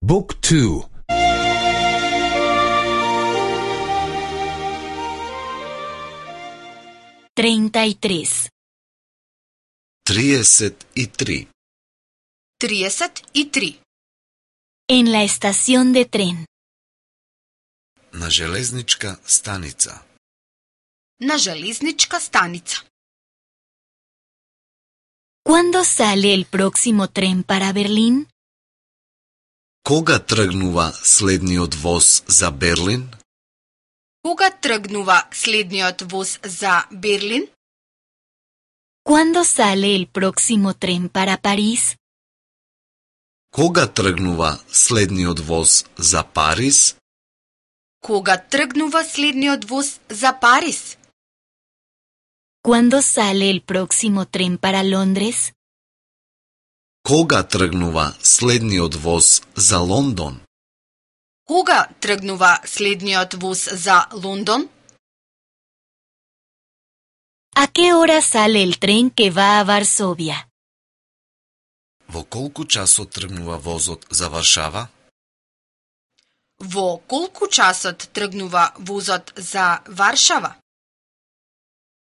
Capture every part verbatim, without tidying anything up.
Book two. treinta y tres. триесет и три. триесет и три. En la estación de tren. На железничка станица. На железничка станица. ¿Cuándo sale el próximo tren para Berlín? Кога тргнува следниот воз за Берлин? Кога тргнува следниот воз за Берлин? ¿Cuándo sale el próximo tren para París? Кога тргнува следниот воз за Париз? Кога тргнува следниот воз за Париз? ¿Cuándo sale el próximo tren para Londres? Кога тргнува следниот воз за Лондон? Кога тргнува следниот воз за Лондон? ¿A qué hora sale el tren que va a Varsovia? Во колку часот тргнува возот за Варшава? Во колку часот тргнува возот за Варшава?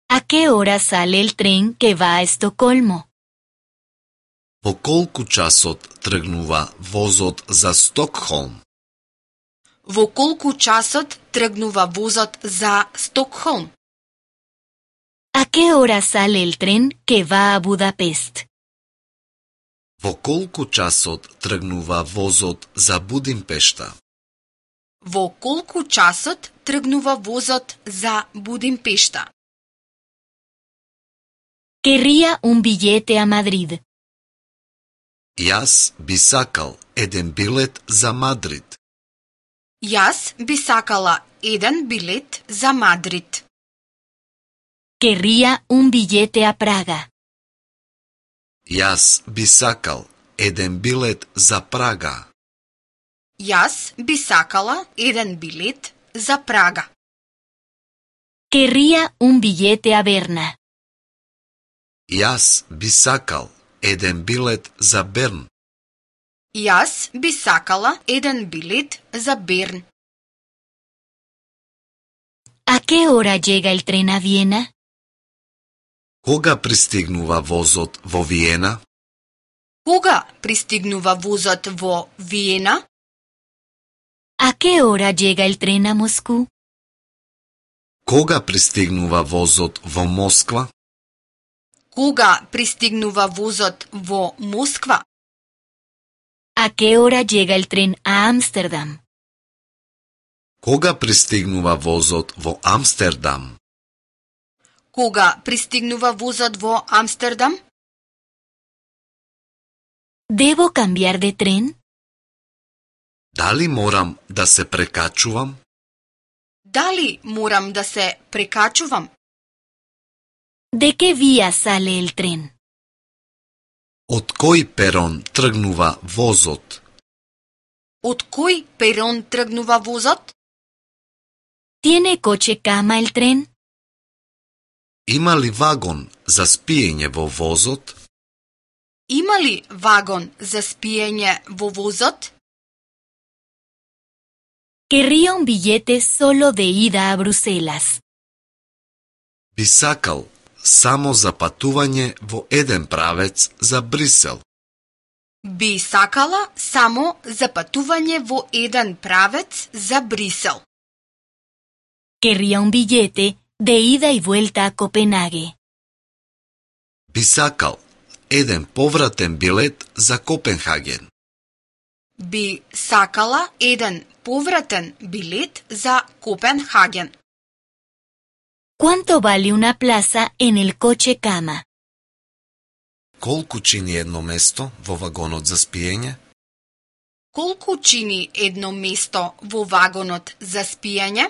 ¿A qué hora sale el tren que va a Estocolmo? Во колку часот тргнува возот за Стокхолм? Во колку часот тргнува возот за Стокхолм? ¿A qué hora sale el tren que va a Budapest? Во колку часот тргнува возот за Будимпешта? Во колку часот тргнува возот за Будимпешта? Querría un billete a Madrid. Јас би сакал еден билет за Мадрид. Јас би сакала еден билет за Мадрид. Querría un billete a Praga. Јас би сакал еден билет за Прага. Јас би сакала еден билет за Прага. Querría un billete a Berna. Јас би сакал еден билет за Берн. Јас би сакала еден билет за Берн. ¿A qué hora llega el tren a Viena? Кога пристигнува возот во Виена? Кога пристигнува возот во Виена? ¿A qué hora llega el tren a Moscú? Кога пристигнува возот во Москва? Кога пристигнува возот во Москва? ¿A qué hora llega el tren a Ámsterdam? Кога пристигнува возот во Амстердам? Кога пристигнува возот во Амстердам? ¿Debo cambiar de tren? Дали морам да се прекачувам? Дали морам да се прекачувам? ¿De qué vía sale el tren? Од кој перон тргнува возот? Од кој перон тргнува возот? ¿Tiene coche cama el tren? Има ли вагон за спиење во возот? Има ли вагон за спиење во возот? Querría un billete solo de ida a Bruselas. Би сакал само за патување во еден правец за Брисел. Би сакала само за патување во еден правец за Брисел. Querría un billete de ida y vuelta a Copenhague. Би сакал еден повратен билет за Копенхаген. Би сакала еден повратен билет за Копенхаген. ¿Cuánto vale una plaza en el coche cama? Колку чини едно место во вагонот за спиење? Колку чини едно место во вагонот за спиење?